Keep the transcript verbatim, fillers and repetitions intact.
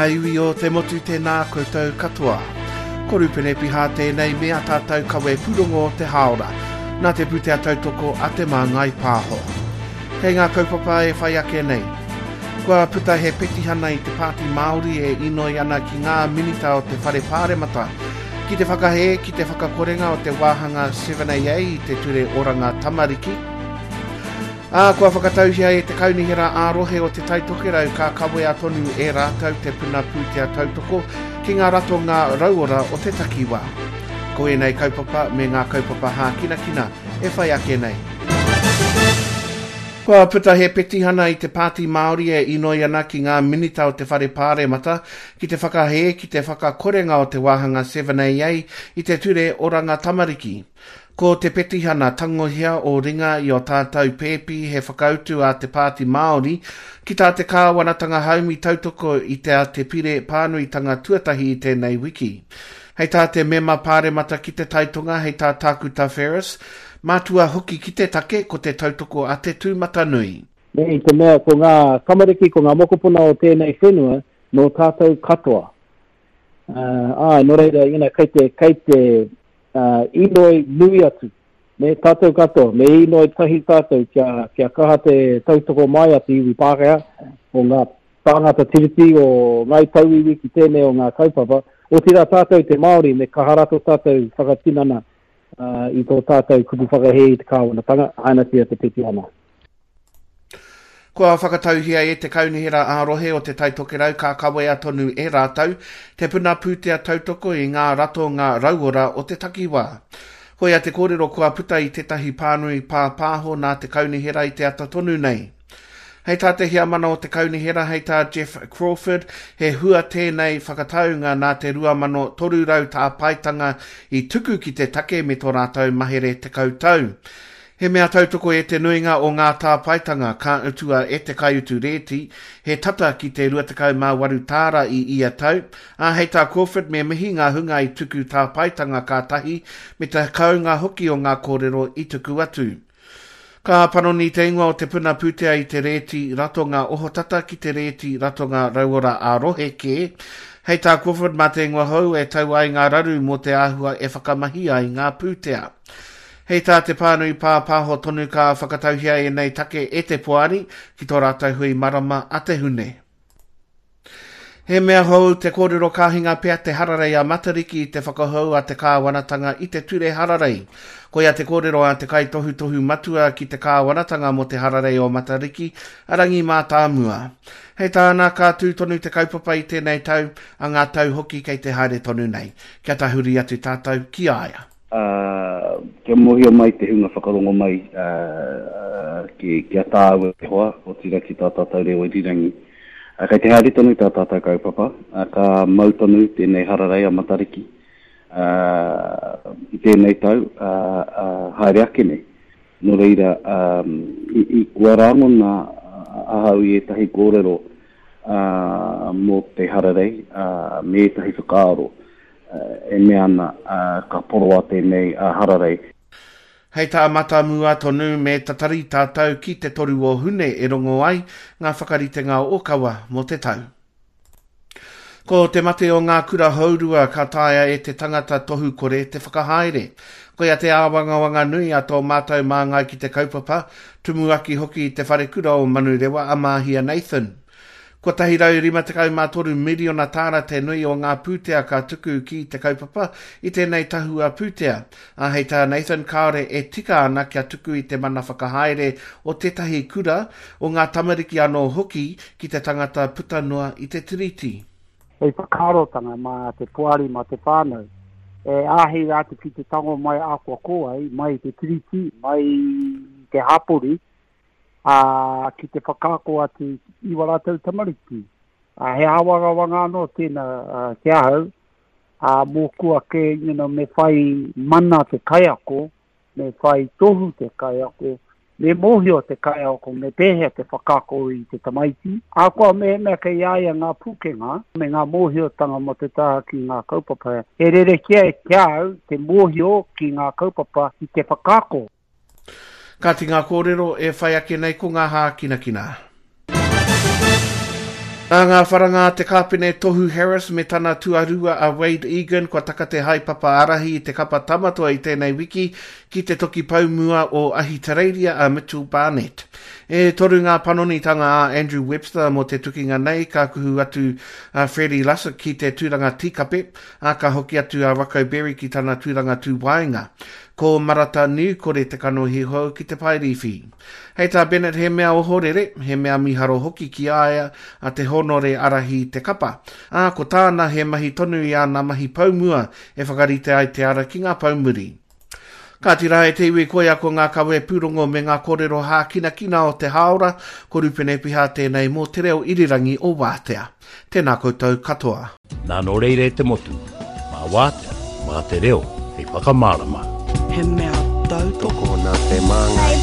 ngā iwi o te motu tēnā koutou katoa. Ko Rupene Piha tēnei me a tātou kawe pūrongo o te hāora, nā te pūtea tautoko a Te Māngai Pāho. Kei ngā kaupapa e whai ake nei. Kua puta he petihana i te Pāti Māori e inoi ana ki ngā minita o te Whare Pāremata ki te whakahē ki te whakakorenga o te wāhanga seven A A i te Ture Oranga Tamariki. Ā, kua whakatauhia e te Kaunihera ā-rohe o Te Tai Tokerau ka kawea tonu e rātou te puna pūtea tautoko ki ngā ratonga rauora o te takiwā. Ko ēnei kaupapa me ngā kaupapa hākinakina e whai ake nei. Kua puta he petihana i te Pāti Māori e inoi ana ki ngā minita o te Whare Pāremata ki te whakahē ki te whakakorenga o te wāhanga seven A A i te Ture Oranga Tamariki. Ko te petihana tangohia o ringa i o tātou pēpi he whakautu a te Pāti Māori ki tā te kāwanatanga haumi tautoko i te a te pire pānuitanga tuatahi i tēnei wiki. Hei tā te mema pāremata ki te taitonga, hei tā Tākuta Ferris, mātua hoki ki te take ko te tautoko a te tūmatanui. Me i te mea ko ngā tamariki, ko ngā mokopuna o tēnei whenua, nō tātou katoa. Uh, ai, nō reira, you know, kei te, kei te uh, inoi nui atu. Me tātou katoa, me inoi tahi tātou kia, kia kaha te tautoko mai a te iwi Pākehā, o ngā tāngata tiriti, o ngāi tauiwi ki tēnei o ngā kaupapa. Otirā tātou te Māori, me kaha rato tātou whakatinana uh, i tō tātou kupu whakahē i te kāwanatanga, hainatia te petihana. Kua whakatauhia e te Kaunihera ā-rohe o Te Tai Tokerau ka kawea tonu e rātou te puna pūtea tautoko i ngā ratonga rauora o te takiwā. Koia te kōrero kua puta i tētahi pānui pāpāho nā te Kaunihera i te ata tonu nei. Hei tā te heamana o te Kaunihera, hei tā Jeff Crawford, he hua tēnei whakataunga nā te rua mano toru rau tāpaetanga i tuku ki te take me tō rātou mahere tekau tau. He mea tautoko e te nuinga o ngā tāpaetanga ka utua e te kaiutu rēti, he tata ki te rua tekau mā waru tāra i ia tau, ā hei tā Crawford me mihi ngā hunga i tuku tāpaetanga ka tahi me te kaunga hoki o ngā kōrero i tuku atu. Ka panoni te ingoa o te puna pūtea i te rēti ratonga ohotata ki te rēti ratonga rauora ā-rohe kē. Hei tā Crawford mā te ingoa hou e tau ai ngā raru mō te āhua e whakamahi ai ngā pūtea. Hei tā te pānui pāpāho tonu ka whakatauhia ēnei take e te poari ki tō rātou hui marama a te hune. He mea hou te kōrero ka hinga pea te hararei a Matariki i te whakahou a te kāwanatanga i te ture hararei. Koia te kōrero a te kaitohutohu matua ki te kāwanatanga mō te hararei o Matariki, a Rangi Mātāmua. Hei tāna ka tū tonu te kaupapa i tēnei tau, a ngā tau hoki kei te haere tonu nei. Kia tahuri atu tātou ki a ia. Uh, kia mōhio mai te hunga whakarongo mai uh, ki, ki a tāua te hoa, o tira ki tā tātou reo irirangi. Uh, kei te haere tonu tā tātou kaupapa, uh, ka mau tonu tēnei hararei a Matariki uh, i tēnei tau uh, uh, haere ake nei. Nō reira, um, i, i kua rangona ahau i ētahi kōrero uh, mō te hararei uh, me ētahi whakaaro uh, e mea ana uh, ka poroa tēnei uh, hararei. Hei tā Matamua tonu me tatari tātou ki te toru o Hune e rongo ai ngā whakaritenga o Kawa mō te tau. Ko te mate o ngā kura hourua ka taea e te tangata tohu kore te whakahaere. Koia te āwangawanga nui a tō mātou māngai ki te kaupapa, tumuaki hoki i te wharekura o Manurewa a Mahia Nathan. Ko tahi rau rima tekau mā toru miriona tāra te nui o ngā pūtea ka tuku ki te kaupapa i tēnei tahua pūtea. A hei tā Nathan kāore e tika ana kia tuku i te mana whakahaere o tētahi kura o ngā tamariki anō hoki ki te tangata puta noa i te tiriti. Hei whakaarotanga mā te poari, mā te whānau. E āhei rātou ki te tango mai akoa koai, mai te tiriti, mai te hapori, a ki te whakaako atu i wā rātou tamariki. A, he āwangawanga anō tēnā ki ahau, a mōku ake, you know, me whai mana te kaiako, me whai tohu te kaiako, me mōhio te kaiako, me pēhea te whakaako i te tamaiti. Ahakoa mehemea kei a ia ngā pūkenga, me ngā mōhiotanga mō te taha ki ngā kaupapa. He rerekē ki au te mōhio ki ngā kaupapa i te whakaako. Kāti ngā kōrero e whai ake nei ko ngā hākinakina. Nā ngā wharanga a te kāpene Tohu Harris me tana tuarua a Wade Egan kua taka te haepapa ārahi i te kapa Tamatoa i tēnei wiki ki te toki poumua o Ahitereiria a Mitchell Barnett. E toru ngā panonitanga a Andrew Webster mō te tukinga nei ka kuhu atu a Freddie Lussick ki te tūranga tīkape, a ka hoki atu a Rocco Berry ki tana tūranga tūwaenga. Ko Marata Niukore te kanohi hou ki te paerīwhi. Hei tā Bennett he mea ohorere, he mea miharo hoki ki a ia a te honore ārahi te kapa. Ā, ko tāna he mahi tonu i āna mahi poumua e whakarite ai te ara ki ngā poumuri. Kāti rā e te iwi koia ko ngā kawe pūrongo me ngā kōrero hākinakina o te hāora, ko Rupene Piha tēnei mō te reo irirangi o Wātea. Tēnā koutou katoa. Nā nō reira e te motu, mā Wātea, mā te reo, hei whakamārama. He mea tautoko Tokona te māngai.